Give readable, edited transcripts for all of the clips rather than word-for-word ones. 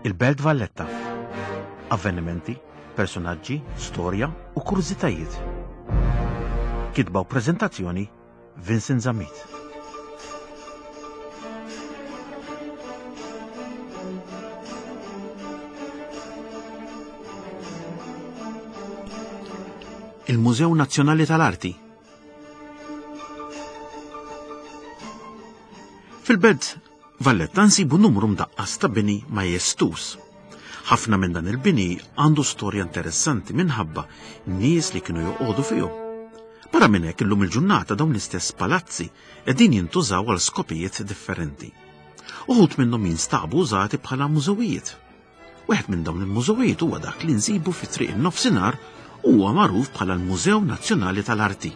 Il-Belt Valletta. Avvenimenti, personaġġi, storja u kurżitajiet. Kitba u preżentazzjoni Vincent Zammit. Il-Mużew Nazzjonali tal-Arti Fil-belt Valletta nsibu numru mdaqqas ta' bini majestuż. Ħafna minn dan il-bini għandu storja interessanti minħabba nies li kienu joqogħdu fihom. Barra minn hekk illum il-ġurnata dawn l-istess palazzi qegħdin jintużaw għal skopijiet differenti. Uħud minnhom jinstabu użati bħala mużewijiet. Wieħed minn dawn il-mużewijiet huwa dak li nsibu fi Triq in-Nofsinhar u huwa magħruf bħala l-Mużew Nazzjonali tal-Arti.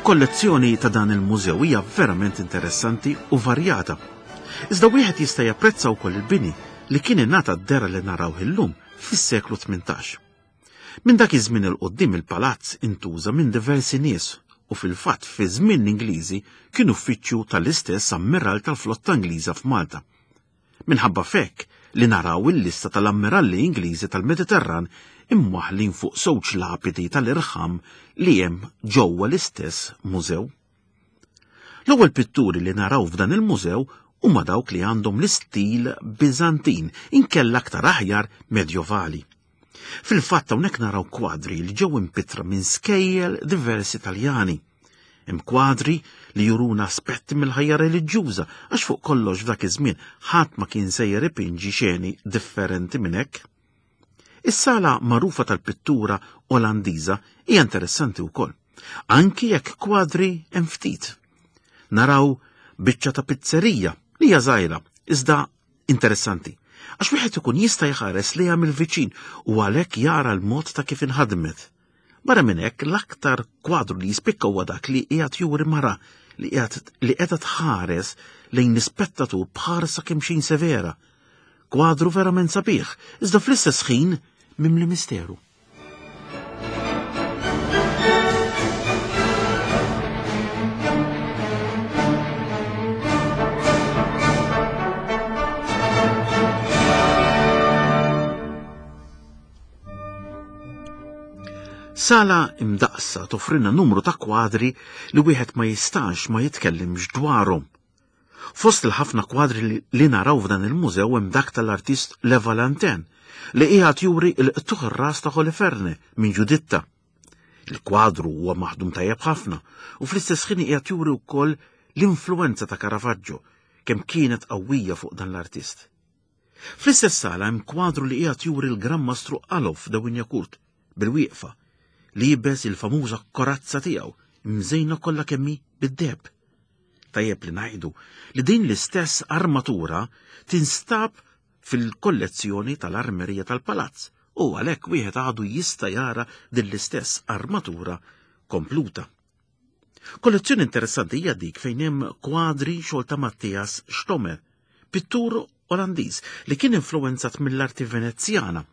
Il-kollezzjoni ta' dan il-mużew hija verament interessanti u varjata. Iżda wieħed jista' japprezza wkoll il-bini li kien ingħata d-dehra li narawh illum fis-seklu 18. Minn dak iż-żmien 'il quddiem il-palazz intuża minn diversi nies u fil-fatt fi żmien l-Ingliżi kien uffiċċju tal-istess ammiral tal-flotta Ingliża f'Malta. Minħabba f'hekk li naraw il-lista tal-ammiralli Ingliżi tal-Mediterran imwaħħlin fuq żewġ lapidi tal-irħam li hemm ġewwa l-istess mużew. L-ewwel pitturi li naraw f'dan il-mużew huma dawk li għandhom l-istil Biżantin, inkella aktar aħjar Medjovali. Fil-fatt hawnhekk naraw kwadri li ġew impittra minn skejjel diversi Taljani. Hemm kwadri li juruna aspetti mill-ħajja reliġjuża għax fuq kollox f'dak iż-żmien ħadd ma kien sejjer ipinġi xeni differenti minn hekk. Is-sala magħrufa tal-pittura Olandiża hija interessanti wkoll, anki jekk kwadri hemm ftit. Naraw biċċa ta' pizzerija li hija żgħira, iżda interessanti, għax wieħed ikun jista' jħares lejha mill-viċin u għalhekk jara l-mod ta' kif inħadmet. Barra minn hekk, l-aktar kwadru li jispikka huwa dak li qiegħed juri mara li qiegħed li qiegħda tħares lejn l-ispettatur b'ħarsa kemm xejn severa. Kwadru verament sabiħ, iżda fl-istess ħin mimli misteru. Sala imdaqsa toffrilna numru ta' kwadri li wieħed ma jistax ma jitkellimx dwarhom. Fost il-ħafna kwadri li naraw f'dan il-mużew hemm dak tal-artist Le Valentin li qiegħed juri l-qtugħ ir-ras ta' Holiferne minn Ġuditta. Il-kwadru huwa maħdum tajjeb ħafna u fl-istess ħin qiegħed juri wkoll l-influenza ta' Caravaggio kemm kienet qawwija fuq dan l-artist. Fl-istess sala hemm kwadru li qiegħed juri l-Gran Mastru Alof de Wignacourt bil-wieqfa, liebes il-famuża korazza tiegħu mżejna kollha kemm hi bid-deheb. Tajjeb li ngħidu li din l-istess armatura tinstab fil-kollezzjoni tal-armerija tal-palazz u għalhekk wieħed għadu jista' jara din l-istess armatura kompluta. Kollezzjoni interessanti hija dik fejn hemm kwadri xogħol ta' Matthias Stomer, pittur Olandiż li kien influwenzat mill-arti Venezjana.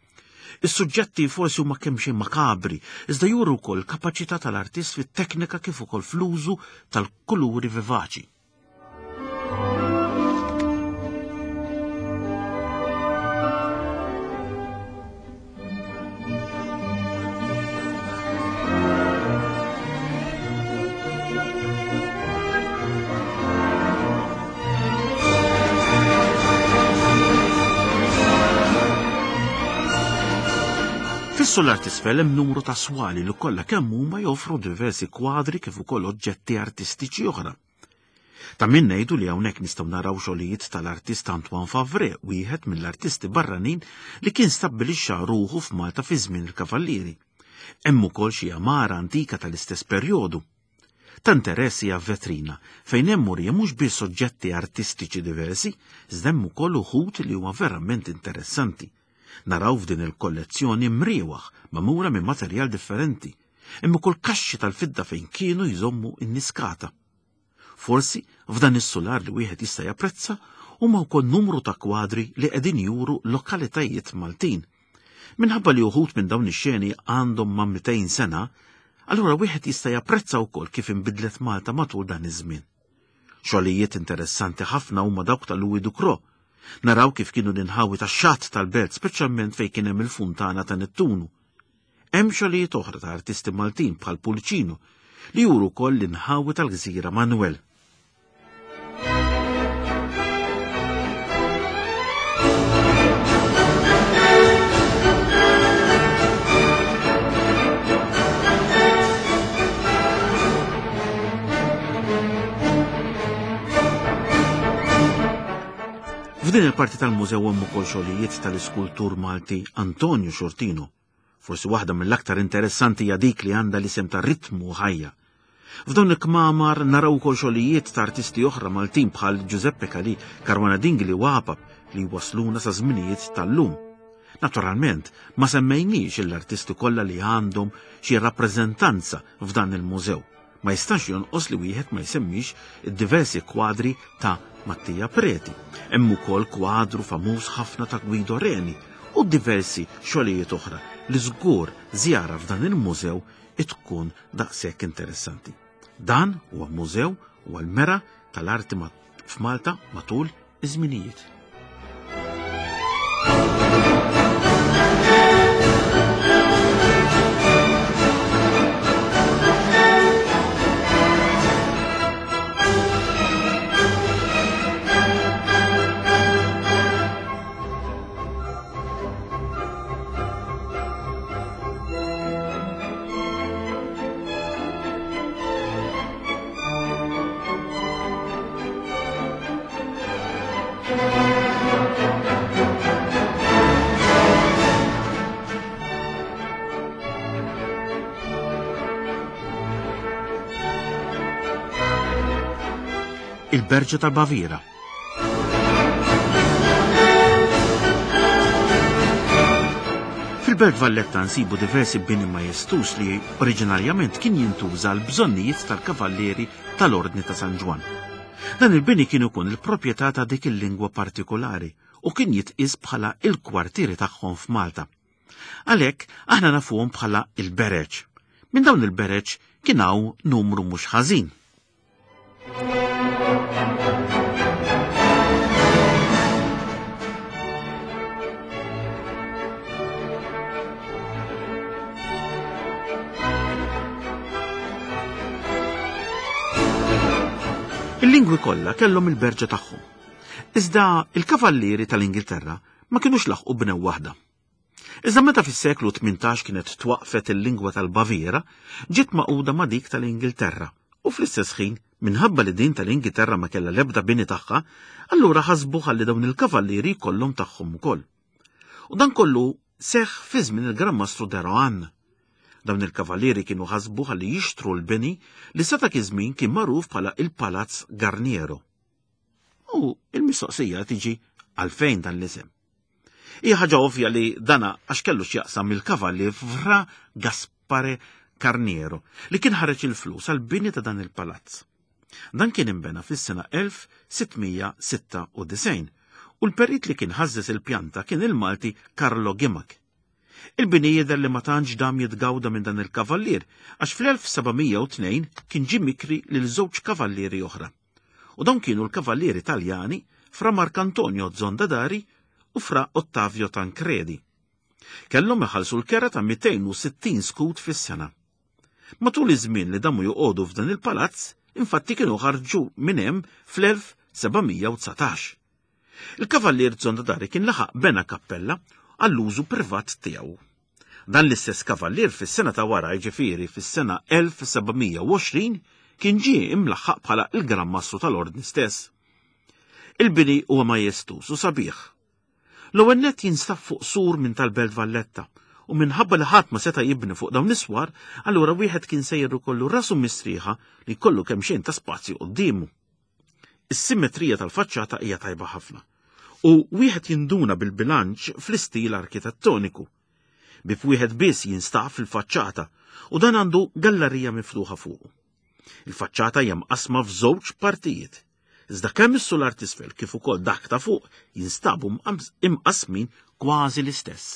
Is-suġġetti forsi huma kemm xejn makabri, iżda juru wkoll kapaċità tal-artist fit-teknika kif ukoll fl-użu tal-kuluri vivaċi. Fis-sular t'isfel hemm numru ta' swali li kollha kemm huma joffru diversi kwadri kif ukoll oġġetti artistiċi oħra. Ta' min ngħidu li hawnhekk nistgħu naraw xogħlijiet tal-artist Antoine Favre, wieħed mill-artisti barranin li kien stabbilixxa ruħu f'Malta fi żmien il-Kavallieri. Hemm ukoll xi għamara antika tal-istess perjodu. Ta' interess hija vetrina fejn hemm murija mhux biss oġġetti artistiċi diversi, iżda hemm ukoll uħud li huma verament interessanti. Naraw f'din il-kollezzjoni mriewaħ magħmula minn materjal differenti. Hemm ukoll kaxxi tal-fidda fejn kienu jżommu n-niskata. Forsi f'dan is-sular li wieħed jista' japprezza huma wkoll numru ta' kwadri li qegħdin juru lokalitajiet Maltin. Minħabba li uħud minn dawn ix-xeni għandhom ma' 200 sena, allura wieħed jista' japprezza wkoll kif inbidlet Malta matul dan iż-żmien. Xogħlijiet interessanti ħafna huma dawk ta' Louis Ducros. Naraw kif kienu l-inħawi tax-xatt tal-belt, speċjalment fejn kien hemm il-funtana ta' Nettunu. Hemm xogħlijiet oħra ta' artisti Maltin bħal Pullicino li juru wkoll l-inħawi tal-gżira Manuel. F'din il-parti tal-mużew hemm ukoll xogħlijiet tal-iskultur Malti Antonio Xortino. Forsi waħda mill-aktar interessanti hija dik li għandha l-isem ta' Ritmu Ħajja. F'dawn il-kmamar naraw ukoll xogħlijiet ta' artisti oħra Maltin bħal Giuseppe Calì, Caruana Dingli u Apap li wasluna sa żminijiet tal-lum. Naturalment, ma semmejniex l-artisti kollha li għandhom xi rappreżentanza f'dan il-mużew. Ma jistax jonqos li wieħed ma jsemmix id-diversi kwadri ta' Mattia Preti. Hemm ukoll kwadru famuż ħafna ta' Guido Reni u diversi xogħlijiet oħra li żgur żjara f'dan il-mużew tkun daqshekk interessanti. Dan huwa mużew u l-mera tal-arti f'Malta matul iż-żminijiet. Il-Berġa tal-Baviera. Fil-Belt Valletta nsibu diversi bini majestuż li oriġinarjament kien jintuża għal bżonnijiet tal-kavallieri tal-Ordni ta' San Ġwann. Dan il-bini kien ikun il-proprjetà ta' dik il-lingwa partikolari u kien jitqies bħala il-kwartieri tagħhom f'Malta. Għalhekk aħna nafuhom bħala il-bereġ. Minn dawn il-bereġ kien hawn numru mhux ħażin. Il-lingwi kollha kellhom il-berġa tagħhom. Iżda il-kavallieri tal-Ingilterra ma kinux laħqu bnew waħda. Iżda meta fis-seklu 18 kienet twaqfet il-lingwa tal-Baviera, ġiet maquda ma' dik tal-Ingilterra u fl-istess ħin, minħabba li din tal-Ingilterra ma kellha l-ebda bini tagħha, allura ħasbu ħalli dawn il-kavallieri jkollhom tagħhom ukoll. U dan kollu seħħ fi żmien il-Gran Mastru de Rohan. Dawn il-kavallieri kienu ħasbu ħalli jixtru l-bini li sa dak iż-żmien kien magħruf bħala il-Palazz Garniero. U il-mistoqsija tiġi għalfejn dan l-isem. Hija ħaġa ovvja li dana għax kellu x'jaqsam il-kavallier Fra Gaspare Carniero li kien ħareġ il-flus għal bini ta' dan il-palazz. Dan kien imbena fis-sena 1696 u l-perit li kien ħażżeż il-pjanta kien il-Malti Carlo Gimac. Il-bini jidher li ma tantx dam jitgawda minn dan il-kavallier għax fl-1702 kien ġie mikri lil żewġ kavallieri oħra. U dawn kienu l-kavallieri Taljani Fra Marcantonio Zondadari u Fra Ottavio Tancredi. Kellhom iħallsu l-kera ta' 260 skud fis-sena. Matul iż-żmien li damu joqogħdu f'dan il-palazz, infatti kienu ħarġu minn hemm fl-1719. Il-kavallier Zondadari kien laħaq bena kappella għall-użu privat tiegħu. Dan l-istess kavallier fis-sena ta' wara, jiġifieri fis-sena 1720, kien ġie imlaħħaq bħala il-Gran Mastru tal-Ordni stess. Il-bini huwa majestuż u sabiħ. L-ewwel nett jinstab fuq sur minn tal-Belt Valletta u minħabba li ħadd ma seta' jibni fuq dawn is-swar, allura wieħed kien sejjer ikollu rasu mistrieħa li jkollu kemm xejn ta' spazju quddiemu. Is-simmetrija tal-faċċata hija tajba ħafna u wieħed jinduna bil-bilanċ fl-istil arkitettoniku. Bieb wieħed biss jinstab fil-faċċata u dan għandu gallerija miftuħa fuqu. Il-faċċata hija mqassma f'żewġ partijiet. Iżda kemm is-sular t'isfel kif ukoll dak ta' fuq jinstabu imqassmin kważi l-istess.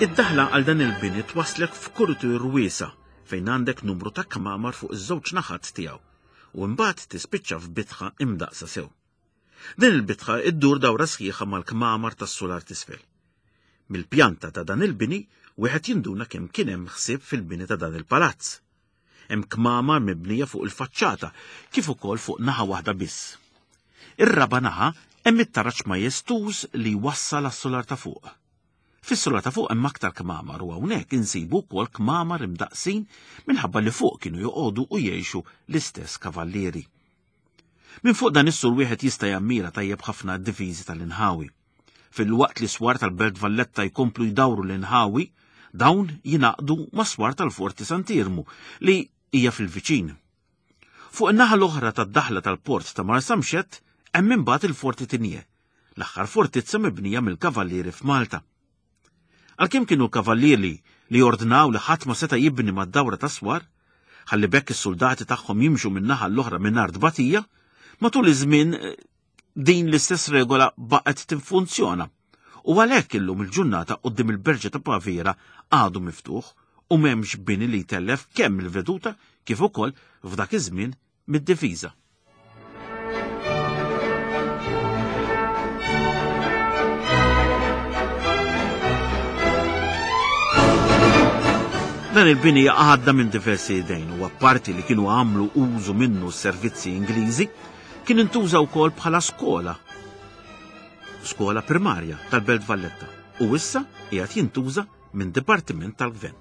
Id-daħla għal dan il-bini twaslek f'kuritur wiesa' fejn għandek numru ta' kmamar fuq iż-żewġ naħat tiegħu u imbagħad tispiċċa f'bitħa imdaqsa sew. Din il-bitħa iddur dawra sħiħa mal-kmamar tas-sular t'isfel. Mill-pjanta ta' dan il-bini wieħed jinduna kemm kien hemm ħsieb fil-bini ta' dan il-palazz. Hemm kmamar mibnija fuq il-faċċata kif ukoll fuq naħa waħda biss. Ir-raba' naħa hemm it-taraġ majestuż li jwassal għas-sular ta' fuq. Fis-sular ta' fuq hemm aktar kmamar u hawnhekk insibu wkoll kmamar imdaqqsin minħabba li fuq kienu joqogħdu u jgħixu l-istess kavallieri. Minn fuq dan is-sur wieħed jista' jammira tajjeb ħafna d-difiżi tal-inħawi. Filwaqt li swar tal-Belt Valletta jkomplu jdawru l-inħawi, dawn jingħaqdu ma' swar tal-Forti Sant'Iermu li hija fil-viċin. Fuq in-naħa l-oħra tad-daħla tal-port ta' Marsamxett hemm imbagħad il-Forti Tinie, l-aħħar fortizza mibnija mill-Kavallieri f'Malta. Għalkemm kienu l-Kavallieri li ordnaw li ħadd ma seta' jibni mad-dawra tas-swar, ħalli b'hekk is-suldati tagħhom jimxu minn naħa l-oħra mingħajr tbatija, matul iż-żmien eh, din l-istess regola baqgħet tinfunzjona. U għalhekk illum il-ġurnata quddiem il-Berġa ta' Baviera għadu miftuħ u m'hemmx bini li jtellef kemm il-veduta kif ukoll f'dak iż-żmien mid-difiża. Dan il-bini għadda minn diversi idejn u apparti li kienu għamlu użu minnu s-servizzi Ingliżi, kien intuża wkoll bħala skola, skola primarja tal-Belt Valletta u issa qiegħed jintuża minn dipartiment tal-gvern.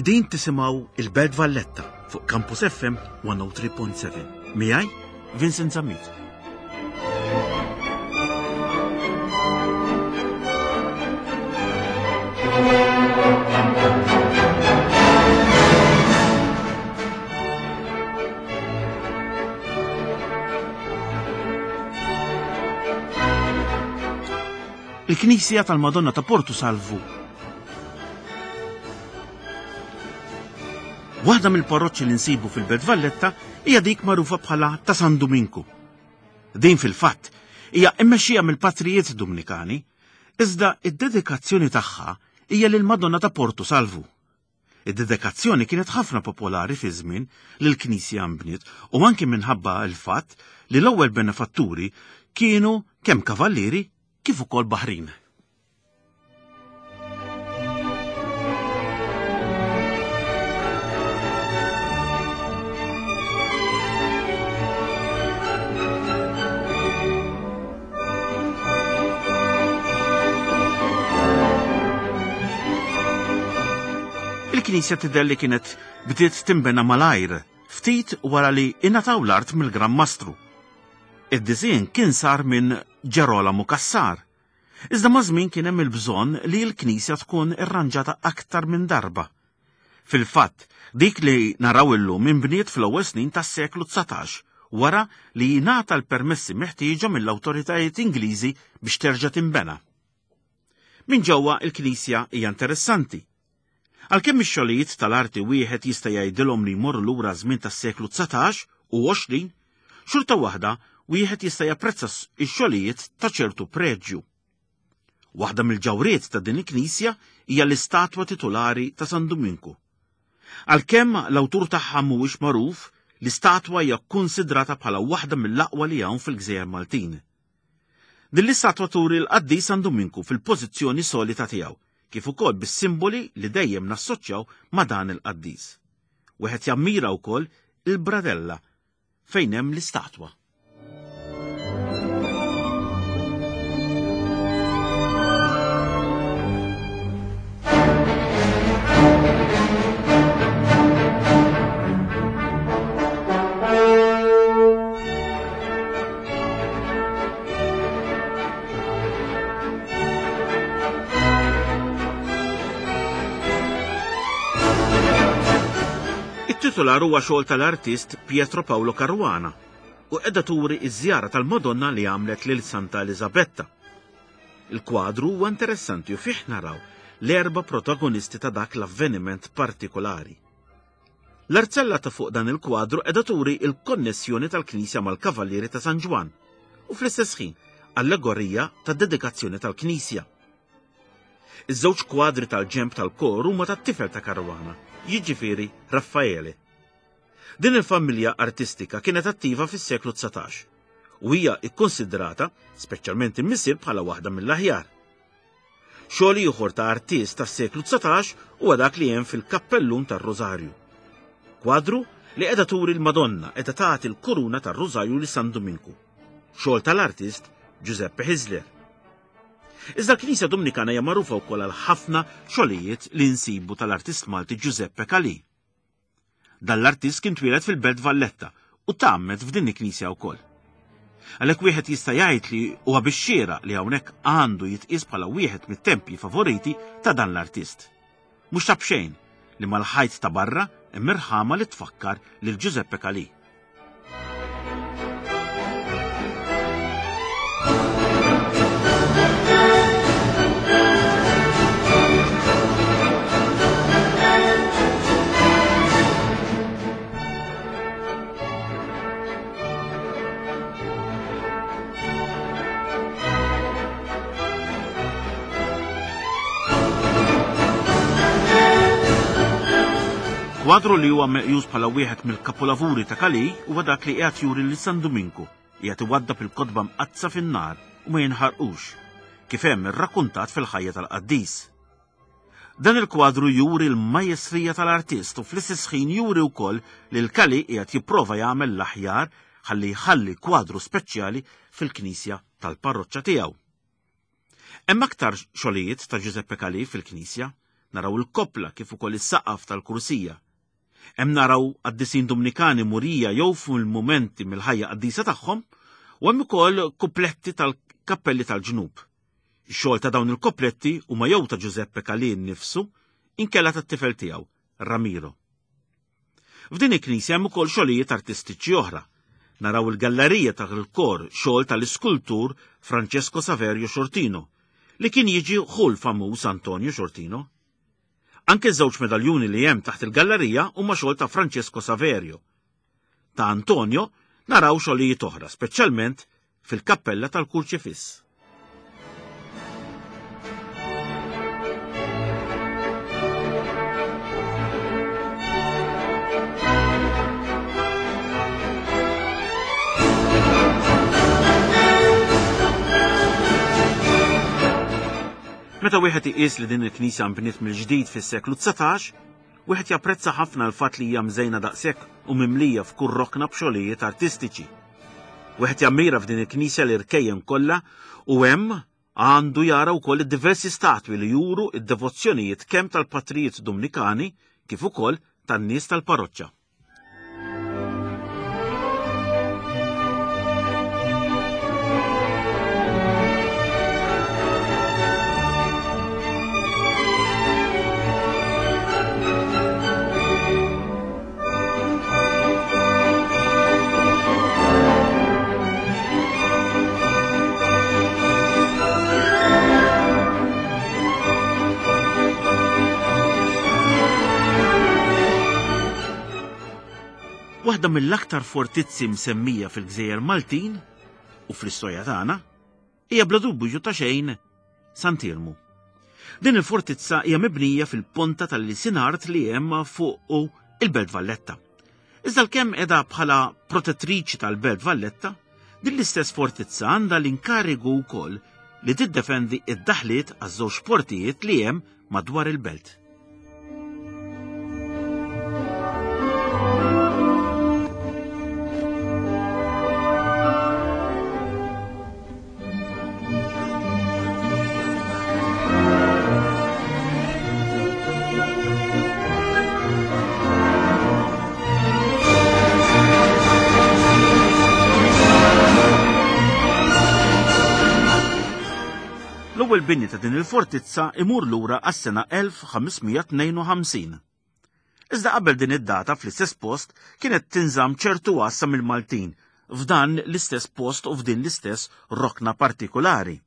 Qegħdin tisimgħu il-Belt Valletta fuq Campus FM 103.7. Miegħi Vincent Zammit. Il-Knisja tal-Madonna ta' Portu Salvu. Waħda mill-parroċċi li nsibu fil-Belt Valletta hija dik magħrufa bħala ta' San Duminku. Din fil-fatt hija mmexxija mill-patrijiet Dumnikani, iżda id-dedikazzjoni tagħha hija lill-Madonna ta' Portu Salvu. Id-dedikazzjoni kienet ħafna popolari fi żmien li l-knisja nbniet u anki minħabba l-fatt li l-ewwel benefatturi kienu kemm kavallieri kif ukoll baħrin. Il-knisja tidher li kienet bdiet tinbena malajr ftit wara li ingħataw l-art mill-Gran Mastru. Id-disinn kien sar minn Ġerolamu Cassar, Iżda maż-żmien kien hemm il-bżonn li l-knisja tkun irranġata aktar minn darba. Fil-fatt, dik li naraw illum inbniet fl-ewwel snin tas-seklu 19 wara li ngħata l-permessi meħtieġa mill-awtoritajiet Ingliżi biex terġa' tinbena. Minn ġewwa il-knisja hija interessanti. Għalkemm ix-xogħlijiet tal-arti wieħed jista' jgħidilhom li jmorru lura żmien tas-seklu 19 u 20, xorta waħda wieħed jista' japprezza x-xogħlijiet ta' ċertu preġju. Waħda mill-ġawriet ta' din il-knisja hija l-istatwa titulari ta' San Duminku. Għalkemm l-awtur tagħha mhuwiex magħruf, L-istatwa hija kkunsidrata bħala waħda mill-aqwa li hawn fil-Gżejjer Maltin. Din l-istatwa turi l-qaddis San Duminku fil-pożizzjoni solita tiegħu, kif ukoll bis-simboli li dejjem nassoċjaw ma' dan il-qaddis. Wieħed jammira wkoll il-bradella fejn hemm l-istatwa. It-titular huwa xogħol tal-artist Pietro Paolo Caruana u qiegħda turi ż-żjara tal-Madonna li għamlet lil Santa Eliżabetta. Il-kwadru huwa interessanti u fih naraw l-erba' protagonisti ta' dak l-avveniment partikolari. L-arzella ta' fuq dan il-kwadru qiegħda turi l-konnessjoni tal-knisja mal-Kavallieri ta' San Ġwann u fl-istess ħin allegorija tad-dedikazzjoni tal-knisja. Iż-żewġ kwadri tal-ġenb tal-kor huma tat-tifel ta' Caruana, jiġifieri Raffaele. Din il-familja artistika kienet attiva fis-seklu 19 u hija kkonsidrata, speċjalment il-missier bħala waħda mill-aħjar. Xogħol ieħor ta' artist tas-seklu 19 huwa dak li hemm fil-kappellun tar-Rużarju. Kwadru li qiegħda turi l-Madonna qiegħda tagħti l-kuruna tar-Rużarju li San Duminku. Xogħol tal-artist Giuseppe Hisler. Iżda l-Knisja Dominikana hija magħrufa wkoll għal ħafna xogħlijiet li nsibu tal-artist Malti Giuseppe Calì. Dan l-artist kien twieled fil-Belt Valletta u tgħammed f'din il-knisja wkoll. Għalhekk wieħed jista' jgħid li huwa bix-xieraq li hawnhekk għandu jitqies bħala wieħed mit-tempji favoriti ta' dan l-artist. Mhux ta' b'xejn li mal-ħajt ta' barra hemm irħama li tfakkar lil Giuseppe Calì. Kwadru li huwa meqjus bħala wieħed mill-kapolavuri ta' Calì huwa dak li qiegħed juri lil San Duminku qiegħed iwaddab il-kotba mqaddsa fin-nar u ma jinħarqux, kif hemm irrakkuntat fil-ħajja tal-qaddis. Dan il-kwadru juri l-majestrija tal-artist u fl-istess ħin juri wkoll li l-Calì qiegħed jipprova jagħmel l-aħjar ħalli jħalli kwadru speċjali fil-knisja tal-parroċċa tiegħu. Hemm aktar xogħlijiet ta' Giuseppe Calì fil-knisja, naraw il-koppla kif ukoll is-saqaf tal-kursija. Hemm naraw qaddisin Dumnikani murija jew fil-mumenti mill-ħajja qaddisa tagħhom u hemm ukoll kupletti tal-kappelli tal-ġnub. Ix-xogħol ta' dawn il-kopletti huma jew ta' Giuseppe Calì nnifsu inkella tat-tifel tiegħu, Ramiro. F'din il-knisja hemm ukoll xogħlijiet artistiċi oħra. Naraw il-gallerija tal-kor xogħol tal-iskultur Francesco Saverio Sciortino, li kien jiġi ħu l-famuż Antonio Sciortino. Anke ż-żewġ medaljuni li hemm taħt il-gallerija huma xogħol ta' Francesco Saverio. Ta' Antonio naraw xogħlijiet oħra, speċjalment fil-kappella tal-Kurċifiss. Meta wieħed iqis li din il-knisja nbniet mill-ġdid fis-seklu 19, Wieħed japprezza ħafna l-fatt li hija mżejna daqshekk u mimlija f'kull rokna b'xogħlijiet artistiċi. Wieħed jammira f'din il-knisja l-irkejjen kollha u hemm għandu jara wkoll id-diversi statwi li juru d-devozzjonijiet kemm tal-patrijiet Dumnikani kif ukoll tan-nies tal-paroċċa. Waħda mill-aktar fortizzi msemmija fil-Gżejjer Maltin u fl-istorja tagħna hija bla dubju ta' xejn Sant'Iermu. Din il-fortizza hija mibnija fil-ponta tal-Lisinart li hemm fuq il-Belt Valletta. Iżda l-kemm edha bħala protettriċi tal-Belt Valletta, din l-istess fortizza għandha l-inkarigu wkoll li tiddefendi id-daħliet għaż-żewġ portijiet li hemm madwar il-belt. L-ewwel bini ta' din il-fortizza imur lura għas-sena 1552. Iżda qabel din id-data fl-istess post kienet tinżamm ċertu għassa mill-Maltin f'dan l-istess post u f'din l-istess rokna partikulari.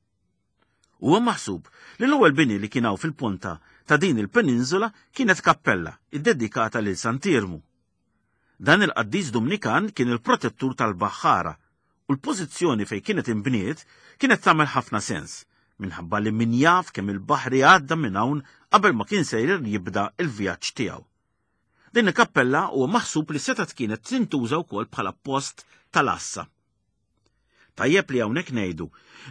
Huwa maħsub li l-ewwel bini li kien hawn fil-ponta ta' din il-peninsula kienet kappella iddedikata lil Sant'Iermu. Dan il-qaddis Dumnikan kien il-protettur tal-baħħara u l-pożizzjoni fejn kienet inbniet kienet tagħmel ħafna sens minħabba li min jaf kemm il-baħri għadda minn hawn qabel ma kien sejjer jibda l-vjaġġ tiegħu. Din il-kappella huwa maħsub li setgħet kienet tintuża wkoll bħala post tal-għassa. Tajjeb li hawnhekk ngħidu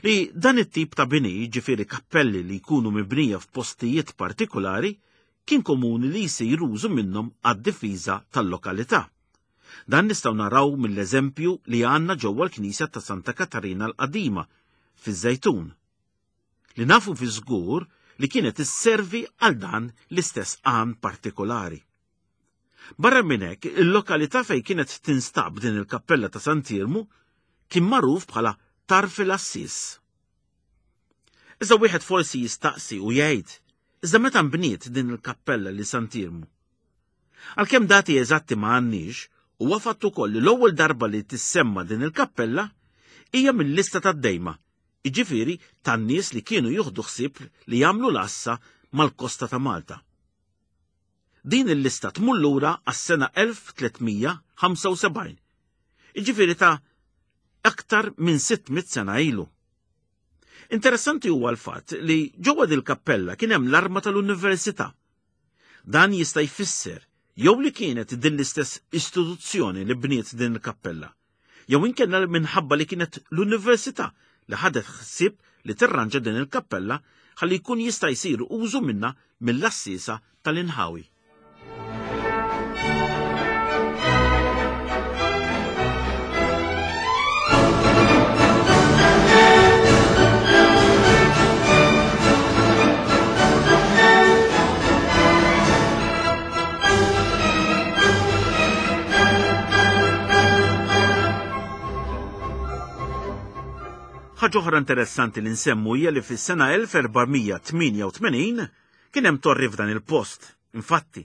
li dan it-tip ta' bini, jiġifieri kappelli li jkunu mibnija f'postijiet partikulari, kien komuni li jsir użu minnhom għad-difiża tal-lokalità. Dan nistgħu naraw mill-eżempju li għandna ġewwa l-Knisja ta' Santa Katarina l-Qadima fiż-Żejtun. Li nafu fi żgur li kienet isservi għal dan l-istess għan partikolari. Barra minn hekk, il-lokalità fejn kienet tinstab din il-kappella ta' Sant'Iermu kien magħruf bħala Tarf il-Għassies. Iżda wieħed forsi jistaqsi u jgħid, iżda meta nbniet din il-kappella li Sant'Iermu? Għalkemm dati eżatti ma għandniex, huwa fatt ukoll li l-ewwel darba li tissemma din il-kappella hija mill-lista tad-Dejma, jiġifieri tan-nies li kienu jieħdu ħsieb li jagħmlu l-għassa mal-kosta ta' Malta. Din il-lista tmur lura għas-sena 1375, jiġifieri ta' aktar minn 600 sena ilu. Interessanti huwa l-fatt li ġewwa dil-kappella kien hemm l-arma tal-Università. Dan jista' jfisser jew li kienet din l-istess istituzzjoni li bniet din il-kappella, jew inkella minħabba li kienet l-Università li ħadet ħsieb li tirranġa din il-kappella ħalli jkun jista' jsir użu minnha mill-għassiesa tal-inħawi. Ħaġa oħra interessanti li nsemmu hija li fis-sena 1488 kien hemm torri f'dan il-post. Infatti,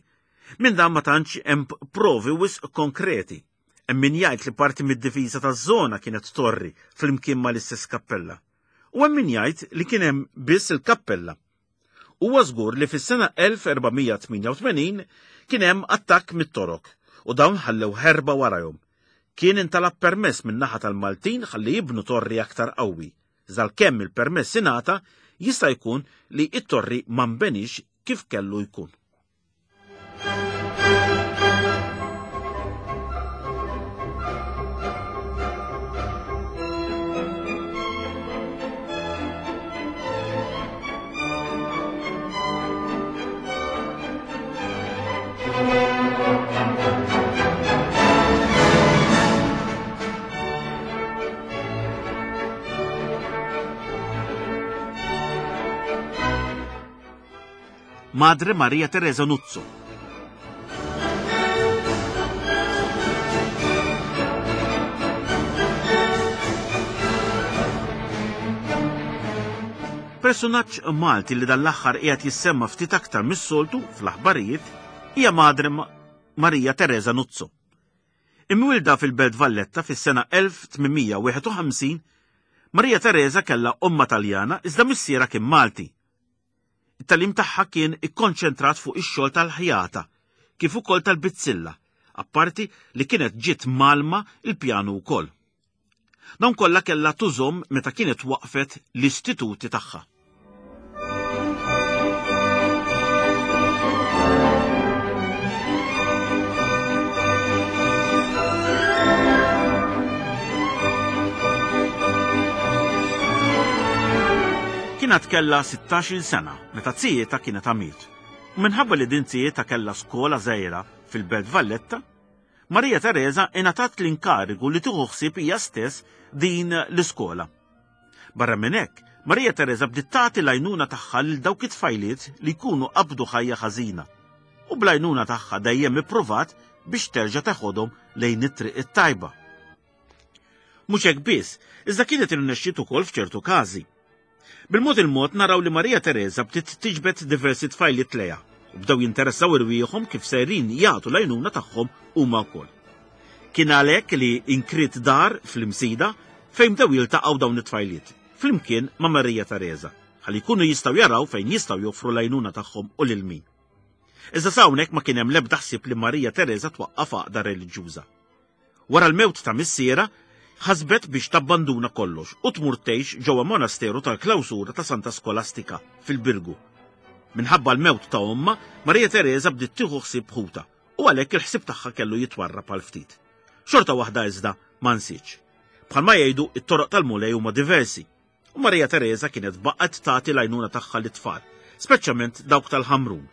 minn dan ma tantx hemm provi wisq konkreti. Hemm min jgħid li parti mid-difiża taż-żona kienet torri flimkien mal-istess kappella. U hemm min jgħid li kien hemm biss il-kappella. Huwa żgur li fis-sena 1488 kien hemm attakk mit-Torok u dawn ħallew ħerba warajhom. Kien intalab permess min-naħa tal-Maltin ħalli jibnu torri aktar qawwi. Iżda għalkemm il-permess ingħata, jista' jkun li t-torri ma nbeniex kif kellu jkun. Madre Maria Teresa Nuzzo. Persunaġġ Malti li dan l-aħħar qiegħed jissemma ftit aktar mis-soltu fl-aħbarijiet hija Madre Maria Teresa Nuzzo. Imwielda fil-Belt Valletta fis-sena 1851, Maria Teresa kellha ommha Taljana iżda missierha kien Malti. It-tagħlim tagħha kien ikkonċentrat fuq ix-xogħol tal-ħjata kif ukoll tal-bizzilla, apparti li kienet ġiet mgħallma l-pjanu wkoll. Dawn kollha kellha tużhom meta kienet waqfet l-istituti tagħha. Kien għad kellha 16-il sena meta zijietha kienet għamiet. U minħabba li din zijietha kellha skola żgħira fil-Belt Valletta, Maria Tereża ingħatat l-inkarigu li tieħu ħsieb hija stess din l-iskola. Barra minn hekk, Maria Tereża bdiet tagħti l-għajnuna tagħha lil dawk it-tfajliet li jkunu qabdu ħajja ħażina u bl-għajnuna tagħha dejjem ippruvat biex terġa' teħodhom lejn it-triq it-tajba. Mhux hekk biss, iżda kienet irnexxiet ukoll f'ċertu każi. Bil-mod il-mod naraw li Maria Tereża bdiet tiġbed diversi tfajliet lejha u bdew jinteressaw irwieħhom kif sejrin jagħtu l-għajnuna tagħhom huma wkoll. Kien għalhekk li inkriet dar fl-Imsida fejn bdew jiltaqgħu dawn it-tfajliet, flimkien ma' Maria Tereża, ħalli jkunu jistgħu jaraw fejn jistgħu joffru l-għajnuna tagħhom u lil min. Iżda s'hawnhekk ma kien hemm l-ebda ħsieb li Maria Tereża twaqqaf għaqda reliġjuża. Wara l-mewt ta' missierha, ħasbet biex tabbanduna kollox u tmur tgħix ġewwa monasteru tal-klawsura ta' Santa Skolastika fil-Birgu. Minħabba l-mewt ta' ommha, Maria Tereża bdiet tieħu ħsieb ħutha u għalhekk il-ħsieb tagħha kellu jitwarrab għal ftit. Xorta waħda iżda ma nsietx. Bħalma jgħidu, it-toroq tal-Mulej huma diversi. U Maria Tereża kienet baqgħet tagħti l-għajnuna tagħha lit-tfal, speċjalment dawk tal-Ħamrun.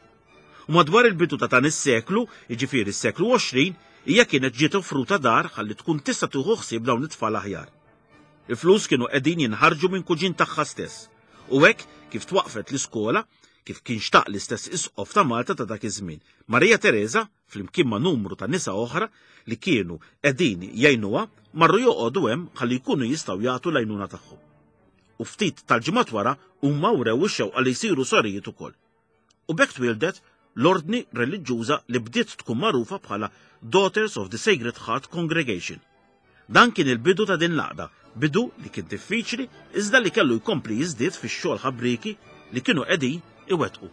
U madwar il-bidu ta' dan is-seklu, jiġifieri s-seklu 20, hija kienet ġiet offruta dar ħalli tkun tista' tieħu ħsieb dawn it-tfal aħjar. Il-flus kienu qegħdin jinħarġu minn kuġin tagħha stess, u hekk kif twaqqfet l-iskola, kif kien xtaq l-istess isqof ta' Malta ta' dak iż-żmien, Maria Tereża flimkien ma' numru ta' nisa oħra li kienu qegħdin jgħinuha, marru joqogħdu hemm ħalli jkunu jistgħu jagħtu l-għajnuna tagħhom. U ftit tal-ġimgħat wara huma wrew ix-xewqa li jsiru sorijiet ukoll. U b'hekk twieldet l-ordni reliġjuża li bdiet tkun magħrufa bħala Daughters of the Sacred Heart Congregation. Dan kien il-bidu ta' din l-għaqda, bidu li kien diffiċli iżda li kellu jkompli jiżdied fix-xogħol ħabrieki li kienu qegħdin iwettqu.